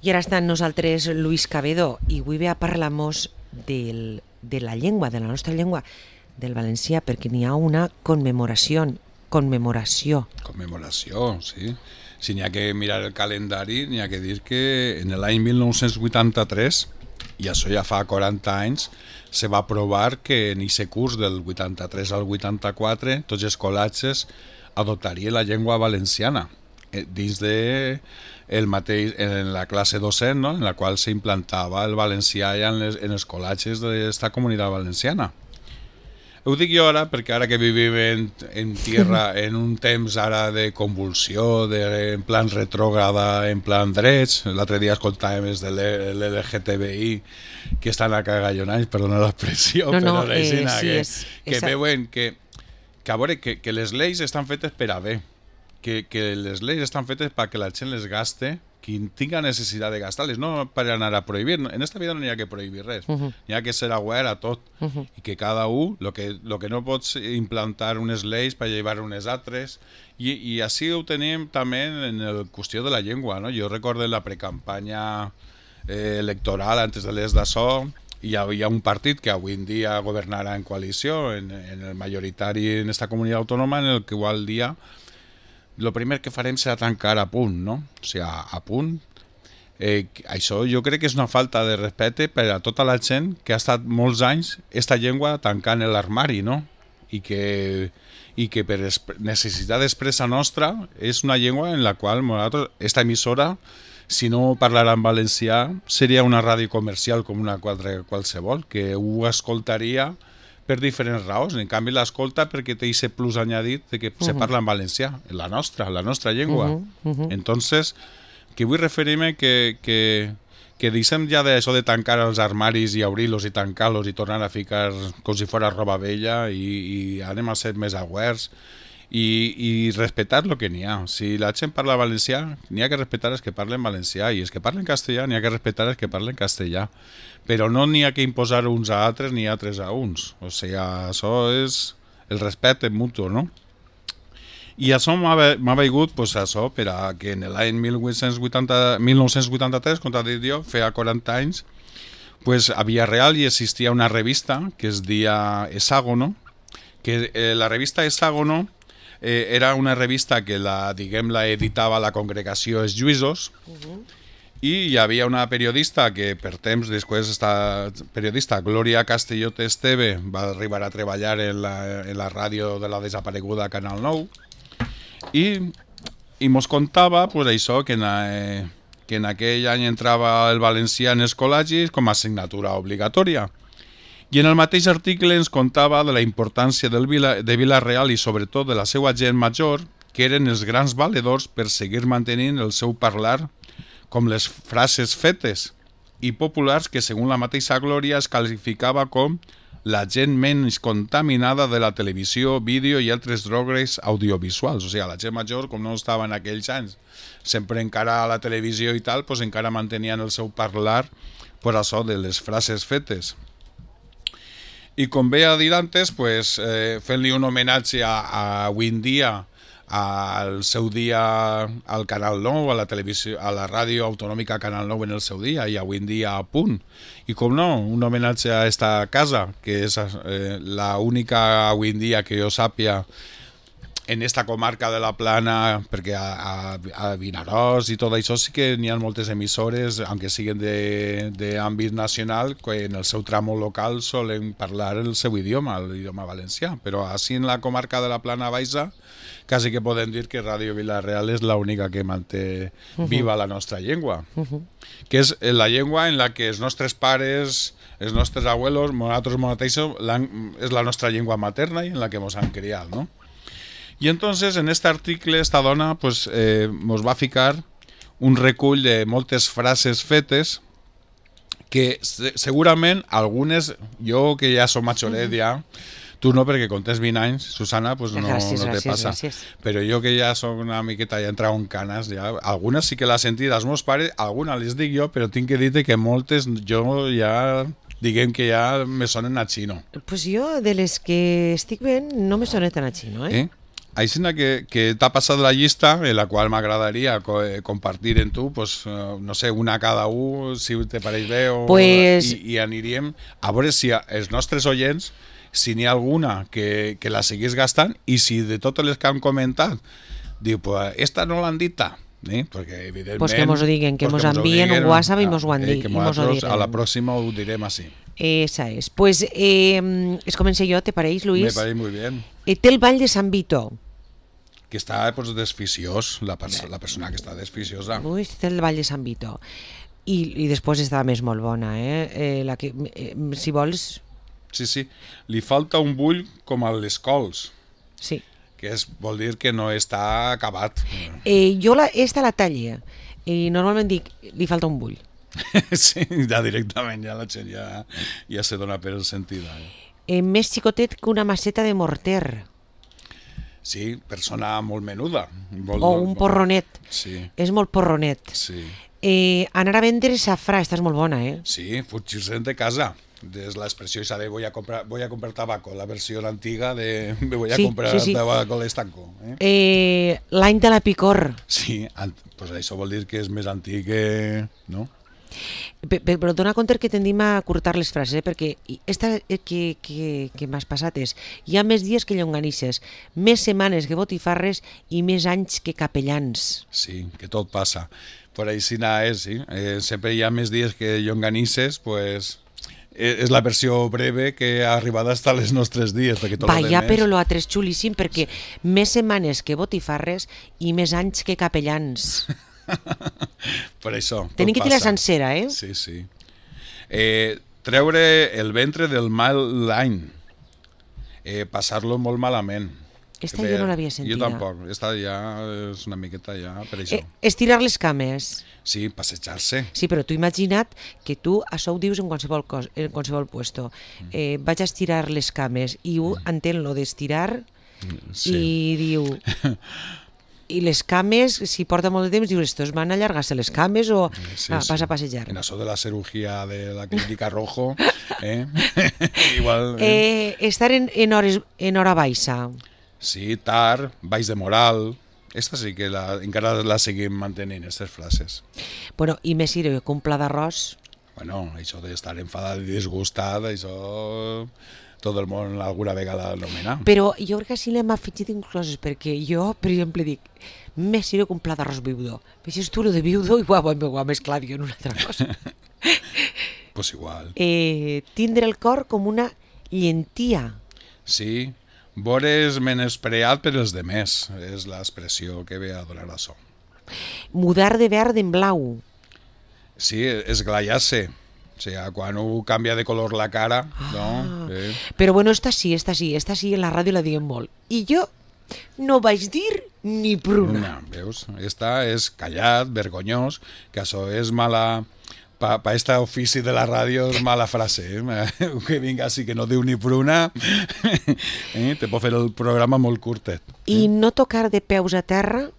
I ara està amb nosaltres Luis Cabedo i avui ve a parlar-nos de la llengua, de la nostra llengua, del valencià, perquè n'hi ha una commemoració. Commemoració, sí. Si n'hi ha que mirar el calendari, n'hi ha que dir que en l'any 1983, i això ja fa 40 anys, se va aprovar que en aquest curs del 83 al 84 tots els col·legis adoptarien la llengua valenciana dins de en la classe docent, no? En la qual s'implantava el valencià ja en els col·legis d'esta comunitat valenciana. Ho dic jo ara perquè ara que vivim en tierra en un temps ara de convulsió, en plan retrògrada, en plan drets. L'altre dia escoltàvem de l'LGTBI que estan a cagallonats, perdona l'expressió, però que veuen que a veure, que les lleis estan fetes per a bé, que les lleis estan fetes perquè la gent les gaste, qui tinga necessitat de gastar-les, no per anar a prohibir. En esta vida no hi ha que prohibir res, hi ha que ser aware a tot, i que cada un, lo que no pots implantar unes lleis per llevar unes altres, i així ho tenim també en la qüestió de la llengua, no? Jo recordo la precampanya electoral antes de les d'això, hi havia un partit que avui en dia governarà en coalició, en el majoritari en esta comunitat autònoma, en el que igual dia el primer que farem serà tancar a punt, no? O sigui, a punt. Això jo crec que és una falta de respecte per a tota la gent que ha estat molts anys esta llengua tancant l'armari, no? I que per necessitat expressa nostra és una llengua en la qual nosaltres, esta emissora, si no parlara en valencià, seria una ràdio comercial com una qualsevol, que ho escoltaria per diferents raons. En canvi l'escolta perquè té aquest plus añadit de que se parla en valencià, la nostra llengua. Entonces, que vull referir-me que deixem ja d'això de tancar els armaris i obrir-los i tancar-los i tornar a ficar com si fos roba vella i anem a ser més awares i respectar el que n'hi ha. Si la gent parla valencià, n'hi ha que respectar els que parlen valencià, i els que parlen castellà n'hi ha que respectar els que parlen castellà, però no n'hi ha que imposar uns a altres ni altres a uns. O sigui, això és el respecte mutu, no? I això m'ha vingut, pues, això, per a que en l'any 1983, com t'ha dit jo, feia 40 anys, pues, a Villarreal hi existia una revista que es deia Hexágono, que la revista Hexágono era una revista que la editava la congregació Els Lluïsos, i hi havia una periodista que per temps després, esta periodista Glòria Castellot Esteve, va arribar a treballar en la ràdio de la desapareguda Canal 9, i mos contava pues, això, que en aquell any entrava el valencià en els col·legis com a assignatura obligatòria. I en el mateix article ens contava de la importància de Vila-real i sobretot de la seva gent major, que eren els grans valedors per seguir mantenint el seu parlar, com les frases fetes i populars que, segons la mateixa Glòria, es qualificava com la gent menys contaminada de la televisió, vídeo i altres drogues audiovisuals. O sigui, la gent major, com no estava en aquells anys, sempre encara a la televisió i tal, pues encara mantenien el seu parlar per això de les frases fetes. I com bé a dir antes, pues, fent-li un homenatge avui en dia al seu dia al Canal 9, a la televisió, a la ràdio autonòmica Canal 9 en el seu dia, i avui en dia a punt. I com no, un homenatge a esta casa, que és la única avui en dia que jo sàpia en esta comarca de la Plana, perquè a Vinaròs i tot això sí que n'hi ha moltes emissores, aunque siguin d'àmbit nacional, que en el seu tramo local solen parlar el seu idioma, l'idioma valencià, però així en la comarca de la Plana Baixa quasi que podem dir que Ràdio Vila-real és l'única que manté viva la nostra llengua, que és la llengua en la que els nostres pares, els nostres abuelos, nosaltres mateixos, és la nostra llengua materna i en la que ens han criat, no? I entonces en este article esta dona pues, nos va ficar un recull de moltes frases fetes que segurament algunes, jo que ja som majoret ja, tu no perquè quan tens 20 anys, Susana, pues no te passa, però jo que ja soc una miqueta ja entrau en canes, ja, algunes sí que l'ha sentit als meus pares, algunes les dic jo, però tinc que dir que moltes jo ja diguem que ja me sonen a xino. Pues jo de les que estic veient no me sonen tan a xino, eh? Així que t'ha passat la llista, en la qual m'agradaria compartir en tu, pues, no sé, una cada un, si te pareix bé, pues... i aniríem a veure si els nostres oients, si n'hi ha alguna que la seguís gastant, i si de totes les que han comentat, diu, pues, esta no l'han dita, perquè evidentment... Pues que mos ho diguen, que mos envien un WhatsApp i mos ho han dit. Que nosaltres a la pròxima ho direm així. Esa és. Pues es comencé jo, ¿te pareix, Luis? Me pareix muy bien. Té el ball de Sant Vito. Que està pues, desficiós, la persona que està desficiosa. Ui, té el ball de Sant Vito. I després està més molt bona, si vols... Sí. Li falta un bull com a les cols. Sí. Que vol dir que no està acabat. Jo esta la talle i normalment dic, li falta un bull. Sí, ja directament, ja la gent ja se dona per sentida. Més xicotet que una maceta de morter. Sí, persona molt menuda. O un porronet. Sí. És molt porronet. Sí. Anar a vendre safrà, esta és molt bona, Sí, fugir-se'n de casa. Es la expresión esa de voy a comprar tabaco, la versión antigua de me voy a comprar tabaco al estanco. L'any de la picor. Sí, pues això vol dir que és més antic que... no? Però dona compte que tendim a curtar les frases, perquè esta que m'has passat és hi ha més dies que llonganisses, més setmanes que botifarres i més anys que capellans. Sí, que tot passa. Per així és, sí. Sempre hi ha més dies que llonganisses, pues... és la versió breve que ha arribat fins als nostres dies. Vaja, però l'altre és xulíssim, perquè més setmanes que botifarres i més anys que capellans. Per això, tenim que dir la sencera, Sí. Treure el ventre del mal l'any. Passar-lo molt malament. Esta jo no l'havia sentida. Jo tampoc, esta ja és una miqueta ja per això. Estirar les cames. Sí, passejar-se. Sí, però tu imagina't que tu això ho dius en qualsevol puesto. Vaig a estirar les cames i ho entén lo d'estirar i diu... I les cames, si porta molt de temps, dius, estos van a allargar-se les cames o vas a passejar? En això de la cirugía de la clínica Rojo, igual... Estar en hora baixa. Sí, tard, baix de moral... Esta sí que encara la seguim mantenint, aquestes frases. Bueno, i més si que un pla d'arròs... Bueno, això d'estar enfadat i disgustat, això tot el món alguna vegada l'anomena. Però jo crec que sí l'hem afegit incloses, perquè jo, per exemple, dic, més si que un pla d'arròs viudo. Veixes tu lo de viudo i ho ha mesclat jo en una altra cosa. Pues igual. Tindre el cor com una llentia. Sí, veure's menyspreat per els demés, és l'expressió que ve a donar això. Mudar de verd en blau. Sí, esglaiar-se. O sigui, quan ho canvia de color la cara, no? Però bueno, esta sí, en la ràdio la diguem molt. I jo no vaig dir ni pruna. Veus? Esta és callat, vergonyós, que això és mala... Per aquest ofici de la ràdio és mala frase, que vinga així que no diu ni pruna, te pot fer el programa molt curtet. I no tocar de peus a terra?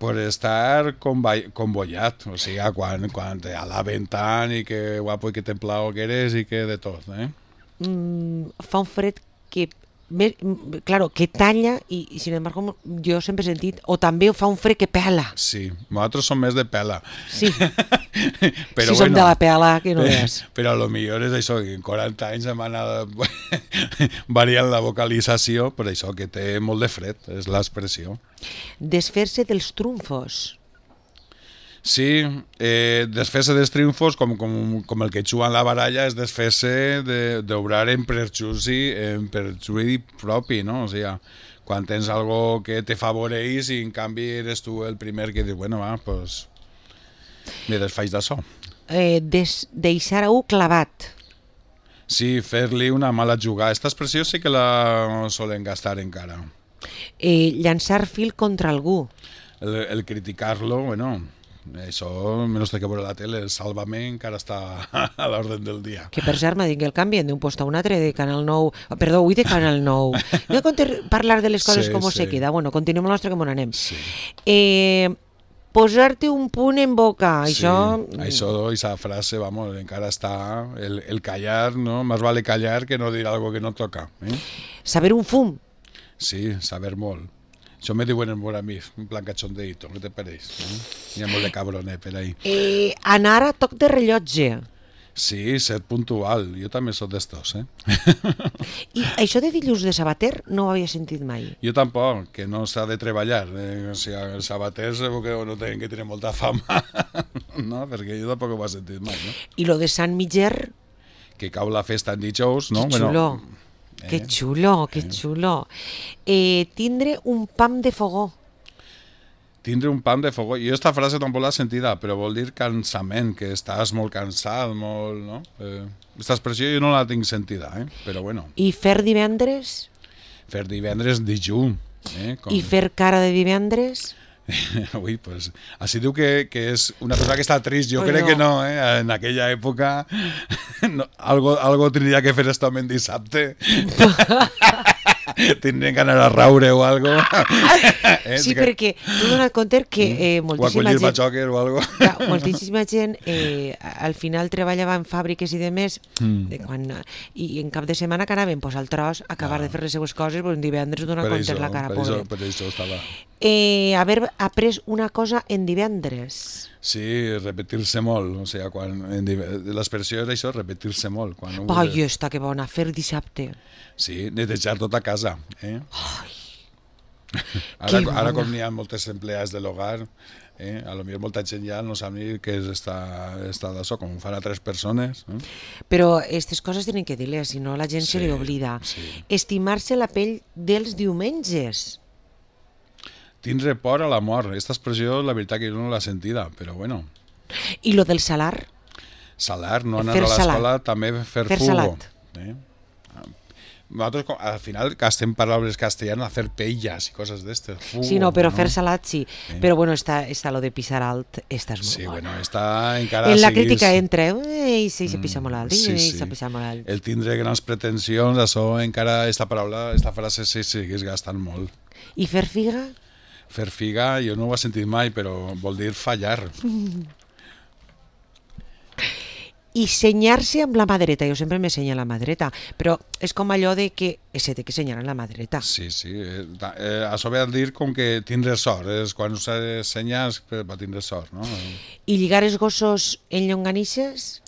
Per estar convollat, o sigui, quan te alaben tant i que guapo i que templado que eres i que de tot. Fa un fred que... Claro, que talla i sin embargo jo sempre he sentit o també fa un fred que pela. Sí, nosaltres som més de pela. Sí, però si som de la pela que no és. Però a lo millor és això, que en 40 anys hem anat variant la vocalització, per això que té molt de fred, és l'expressió. Desfer-se dels trumfos. Sí, desfer-se dels triomfos, com el que juguen la baralla, és desfer-se d'obrar en perjudici propi, no? O sigui, quan tens algo que te favoreix i en canvi eres tu el primer que dius, bueno, va, pues me desfaig d'això. Deixar a clavat. Sí, fer-li una mala jugada. Aquesta expressió sí que la solen gastar encara. Llançar fil contra algú. El criticar-lo, bueno... Això, menys que veure la tele, el Sálvame encara està a l'ordre del dia. Que per cert m'ha dit que el canvien d'un post a un altre de Canal 9, perdó, avui de Canal 9. No he parlar de les coses com se queda. Bueno, continuem el nostre que m'on anem. Sí. Posar-te un punt en boca, sí, això, aquesta frase, vamos, encara està, el callar, no? Más vale callar que no dir algo que no toca. Saber un fum. Sí, saber molt. Això me diuen molt a mi, un plan cachondeito, què te pareix? Hi ha molt de cabronet per ahí. Anar a toc de rellotge. Sí, ser puntual. Jo també sóc d'estos, I això de dilluns de sabater no ho havia sentit mai. Jo tampoc, que no s'ha de treballar. O sigui, els sabaters segur que no tenen que tenir molta fama, no? Perquè jo tampoc ho he sentit mai, no? I lo de Sant Miger... Que cau la festa en dijous, no? Que xulo, que xulo, que xulo. Tindre un pam de fogó. Tindre un pam de fogó. Jo esta frase tampoc l'he sentida, però vol dir cansament, que estàs molt cansat, molt, no? Esta expressió jo no la tinc sentida, però bueno. I fer divendres? Fer divendres dijunt. I fer cara de divendres? Ui, pues, així diu que és una persona que està trist. Jo crec que no, en aquella època no, algo tindria que fer esto en dissabte. Tindrien que anar a raure o algo. Sí, perquè tu dona't compte que moltíssima gent... O a collir batxoques o algo. Moltíssima gent al final treballava en fàbriques i demés i en cap de setmana que anaven al tros a acabar de fer les seues coses, un divendres donar compte la cara, pobre. Per això estava. Haver après una cosa en divendres. Sí, repetir-se molt. O sigui, l'expressió és això, repetir-se molt. Ai, està que bona, fer dissabte. Sí, netejar tota casa. Ara com n'hi ha moltes empleades de l'hogar, a lo millor molta gent ja no sap ni què és estar d'això, com ho fan a 3 persones. Però aquestes coses tenen que dir-les, si no la gent se li oblida. Estimar-se la pell dels diumenges. Tindre por a la mort. Aquesta expressió, la veritat que jo no l'he sentida, però bueno. I lo del salar? Salar, no anar a l'escola, també fer fugo. Salat. Nosaltres, al final, gastem paraules castellanes, fer pelles i coses d'estes. Sí, no, però fer salat sí. Però bueno, està lo de pisar alt, està molt sí, bona. Bueno, està encara... En la crítica entra, se pisa molt alt, se pisa molt alt. El tindre grans pretensions, això encara, esta frase se segueix gastant molt. I fer figa? Fer figa, jo no ho he sentit mai, però vol dir fallar. I senyar-se amb la mà dreta. Jo sempre m'ensenya la mà dreta, però és com allò de que se té que senyar amb la mà dreta. Sí, sí. Això ve a dir com que tindre sort. Quan s'ensenyes va tindre sort, no? I lligar els gossos en llonganisses?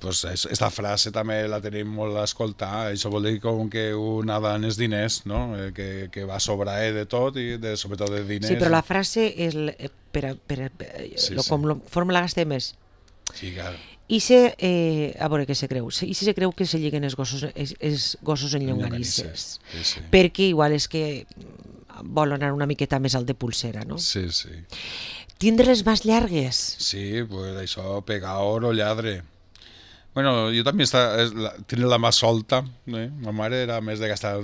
Pues esta frase també la tenim molt a escoltar. Això vol dir com que un ha d'anar els diners, no? Que va sobrar de tot i sobretot de diners. Sí, però la frase és com la forma la gastem més. Sí, clar. I a veure què se creu. I si se creu que se lliguen els gossos en llonganisses. Sí. Perquè igual és que vol anar una miqueta més alt de pulsera, no? Sí, sí. Tindre les mans llargues. Sí, pues això, pegador o lladre. Bueno, jo també tenia la mà solta, ma mare era més de gastar,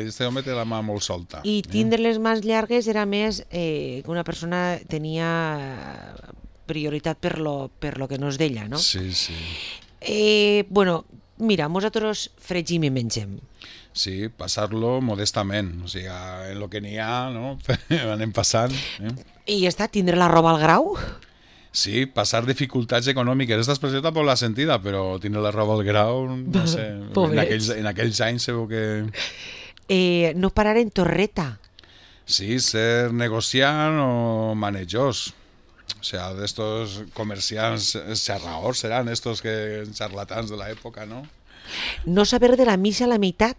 este home té la mà molt solta. I tindre les mans llargues era més que una persona tenia prioritat per lo que no és d'ella, no? Sí, sí. Bueno, mira, nosaltres fregim i mengem. Sí, passar-lo modestament, o sigui, en lo que n'hi ha, no? Anem passant. I ja està, tindre la roba al grau? Sí, passar dificultats econòmiques. Aquesta expressió tampoc l'ha sentida, però tindre la roba al grau, no sé, en aquells anys segur que... No parar en torreta. Sí, ser negociant o manejós. O sea, d'estos comerciants xarraors seran estos charlatans de l'època, no? No saber de la missa a la meitat.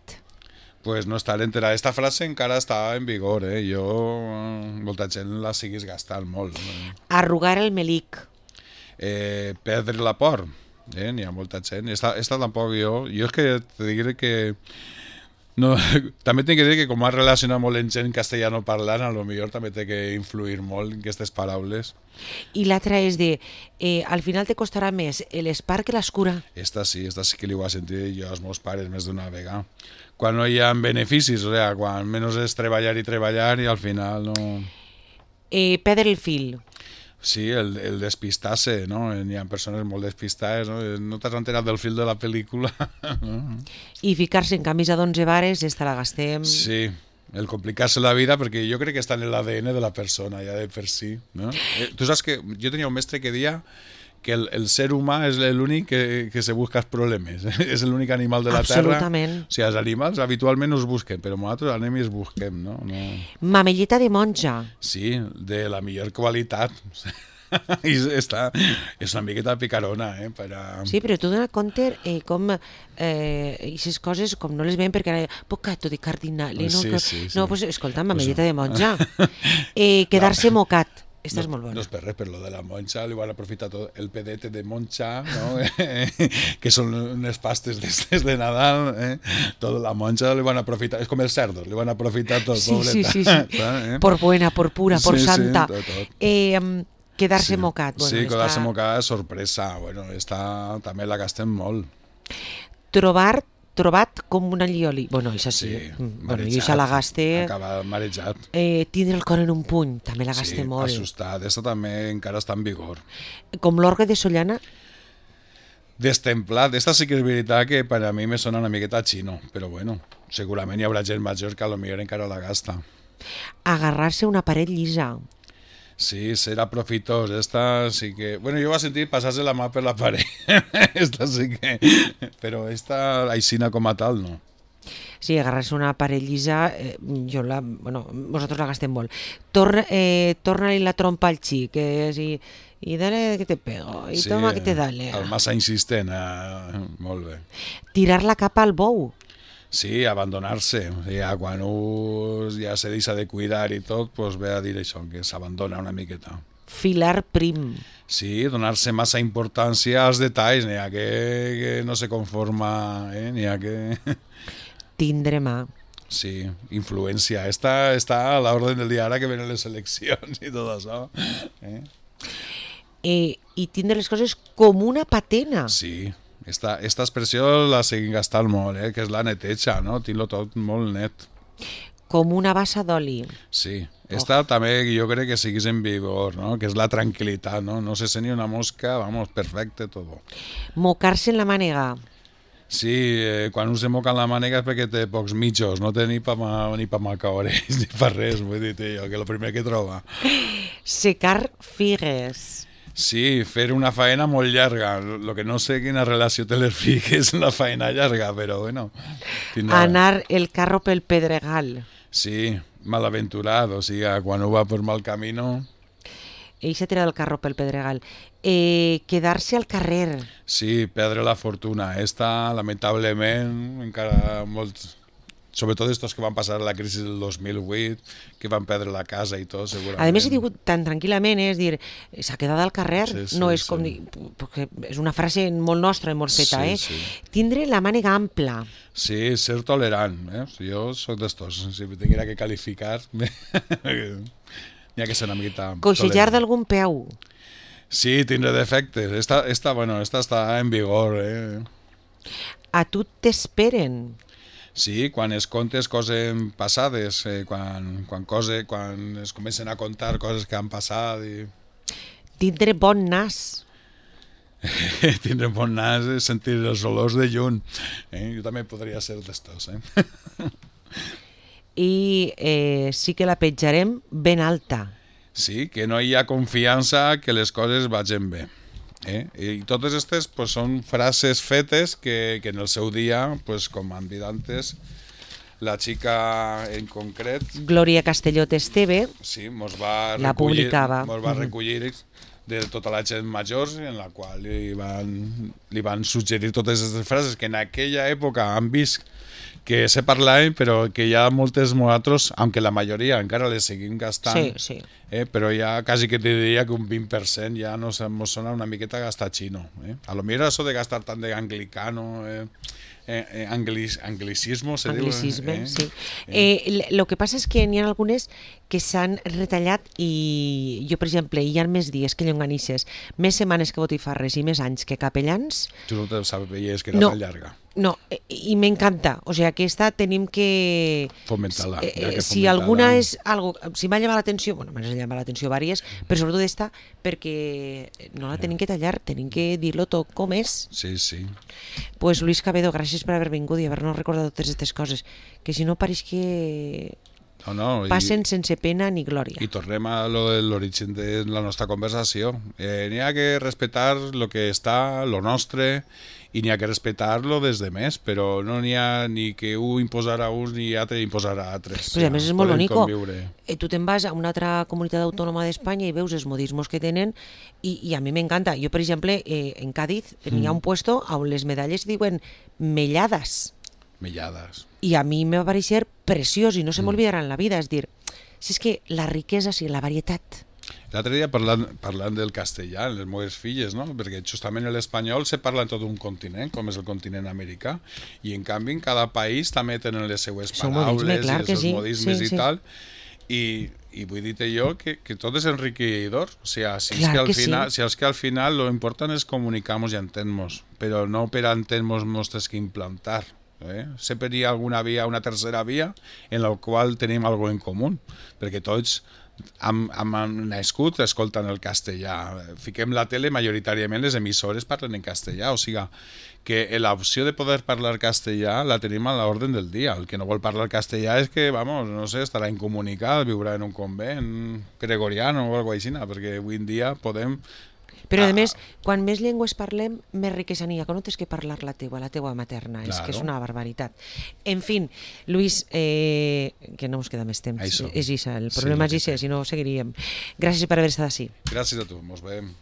Pues no estar enterat. Esta frase encara està en vigor, Jo, molta gent la siguis gastant molt. Arrugar el melic. Perdre la por. N'hi ha molta gent. Esta tampoc jo. Jo és que te diré que... No, també tinc que dir que com has relacionat molt en gent castellano parlant, a lo millor també té que influir molt en aquestes paraules. I l'altra és de, al final te costarà més l'espar que l'escura. Esta sí que li ho he sentit jo als meus pares més d'una vegada. Quan no hi ha beneficis, o sigui, quan menys és treballar i al final no... Perdre el fil. Sí, el despistar-se, no? Hi ha persones molt despistades, no? No t'has enterat del fil de la pel·lícula. I ficar-se en camisa d'11 vares, esta la gastem. Sí, el complicar-se la vida, perquè jo crec que està en l'ADN de la persona, ja de per si. No? Tu saps que jo tenia un mestre que deia que el ser humà és l'únic que se busca els problemes. És l'únic animal de la Absolutament. Terra. O sigui, els animals habitualment no es busquen, però nosaltres anem i els busquem, no? Mamelleta de monja. Sí, de la millor qualitat. I és una miqueta picarona, Sí, però tu dona compte com aquestes coses com no les veiem perquè ara peccato de cardinale, no? Sí. No, pues escolta, mamelleta de monja. Quedar-se mocat. Esta és molt bona. No és per res, per lo de la monja li van aprofitar tot el pedete de monja, no? Que són unes pastes d'estes de Nadal, tota la monja li van aprofitar, és com els cerdos, li van aprofitar tot, pobreta. Sí. Por buena, por pura, por santa. Tot. Quedar-se mocat. Bueno, sí, quedar-se mocat és sorpresa. Bueno, esta també la gastem molt. Trobat com una llioli. Bueno, això sí. Bueno, jo això la gaste... Acaba marejat. Tindre el cor en un puny, també la gaste molt. Sí, assustat. Esta també encara està en vigor. Com l'orgue de Sollana? Destemplat. Esta sí que és veritat que per a mi me sona una miqueta xino, però bueno, segurament hi haurà gent major que potser encara la gasta. Agarrar-se una paret llisa. Sí, serà profitós. Esta sí que... Bueno, jo vaig sentir passar-se la mà per la paret. Esta sí que... Però esta aixina com a tal, no. Sí, agarrar-se una paret llisa, bueno, vosaltres la gastem molt. Torna-li la trompa al xic, i dale que te pego, i sí, toma que te dale. El massa insistent, molt bé. Tirar la capa al bou. Sí, abandonar-se. Ja quan ja se deixa de cuidar i tot, doncs ve a dir això, que s'abandona una miqueta. Filar prim. Sí, donar-se massa importància als detalls, n'hi ha que no se conforma, n'hi ha que... Tindre mà. Sí, influència. Està a l'ordre del dia ara que venen les eleccions i tot això. I tindre les coses com una patena. Sí. Esta expressió la seguim gastant molt, que és la neteja, no? Tinc-lo tot molt net. Com una bassa d'oli. Sí, esta també jo crec que siguis en vigor, no? Que és la tranquil·litat, no? No se sent ni una mosca, vamos, perfecte, tot. Mocar-se en la mànega. Sí, quan un se moca en la mànega és perquè té pocs mitjos, no té ni pa macaores, ni pa res, vull dir, jo, que el primer que troba. Secar figues. Sí, fer una faena molt llarga. Lo que no sé quina relació té les figues amb la faena llarga, però bueno. Anar el carro pel pedregal. Sí, malaventurat, o sigui, quan ho va per mal camino... Ell s'ha tirat el carro pel pedregal. Quedar-se al carrer. Sí, perdre la fortuna. Esta, lamentablement, encara molts... Sobretot estos que van passar la crisi del 2008, que van perdre la casa i tot, segurament. A més, he dit tan tranquil·lament, és dir, s'ha quedat al carrer, no és com dir, perquè és una frase molt nostra, molt feta, Sí. Tindre la mànega ampla. Sí, ser tolerant, Jo soc d'estos, si tinguera que qualificar, n'hi ha que ser una miqueta... Coixejar d'algun peu. Sí, tindre defectes. Esta està en vigor, A tu t'esperen. Sí, quan es contes coses passades, quan es comencen a contar coses que han passat. Tindre bon nas. Tindre bon nas és sentir els olors de lluny. Jo també podria ser d'estos. I sí que la petjarem ben alta. Sí, que no hi ha confiança que les coses vagin bé. I totes aquestes són frases fetes que en el seu dia, com han dit antes, la xica en concret... Glòria Castellot Esteve, sí, mos va recollir de tota la gent major, en la qual li van suggerir totes aquestes frases que en aquella època han vist que se parlaven, però que hi ha moltes nosaltres, aunque la majoria encara les seguim gastant, sí. Però ja quasi que te diria que un 20% ja nos sona una miqueta gastar xino. A lo millor això de gastar tant de anglicano, anglicismo, se diu. Anglicisme, sí. Lo que passa és que n'hi ha algunes que s'han retallat i jo, per exemple, hi ha més dies que llonganisses, més setmanes que botifarres i més anys que capellans. Tu no te sabies que era tan llarga. No, i m'encanta. O sigui, aquesta tenim que... Fomentar-la. Si alguna és algo... Si m'ha llamat l'atenció, bueno, m'ha llamat l'atenció vàries, però sobretot esta, perquè no la tenim que tallar, tenim que dir-lo tot com és. Sí. Pues Luis Cabedo, gràcies per haver vingut i haver-nos recordat totes aquestes coses, que si no pareix que passen sense pena ni glòria. I tornem a l'origen de la nostra conversació. N'hi ha que respectar el que està, lo nostre, i n'hi ha que respectar-lo des de més, però no n'hi ha ni que un imposar a uns ni altre imposar a altres. Però a més és molt bonico. Tu te'n vas a una altra comunitat autònoma d'Espanya i veus els modismos que tenen i a mi m'encanta. Jo, per exemple, en Cádiz n'hi ha un puesto on les medalles diuen mellades. Mellades. I a mi me va pareixer preciós i no se m'olvidarà en la vida. És dir, si és que la riquesa, sí, la varietat. L'altre dia parlant del castellà, les meves filles, no? Perquè justament l'espanyol se parla en tot un continent, com és el continent americà, i en canvi en cada país també tenen les seues paraules i els seus modismes i tal, i vull dir-te jo que tot és enriquidor. O sigui, si és que al final lo important és comunicar-nos i entendre-nos, però no per entendre-nos mos que implantar. Sempre hi ha alguna via, una tercera via en la qual tenim alguna en comú, perquè tots hem nascut escoltant el castellà. Fiquem la tele, majoritàriament les emissores parlen en castellà, o sigui que l'opció de poder parlar castellà la tenim a l'ordre del dia. El que no vol parlar castellà és que, vamos, no sé, estarà incomunicat, viurà en un convent gregoriano o alguna cosa així, perquè avui en dia podem... Però a més, quan més llengües parlem, més riquesa n'hi ha, que no tens que parlar la teua materna, és que és una barbaritat. En fi, Luis, que no ens queda més temps, és Isa, el problema és Isa, si no seguiríem. Gràcies per haver estat així. Gràcies a tu, mos veiem.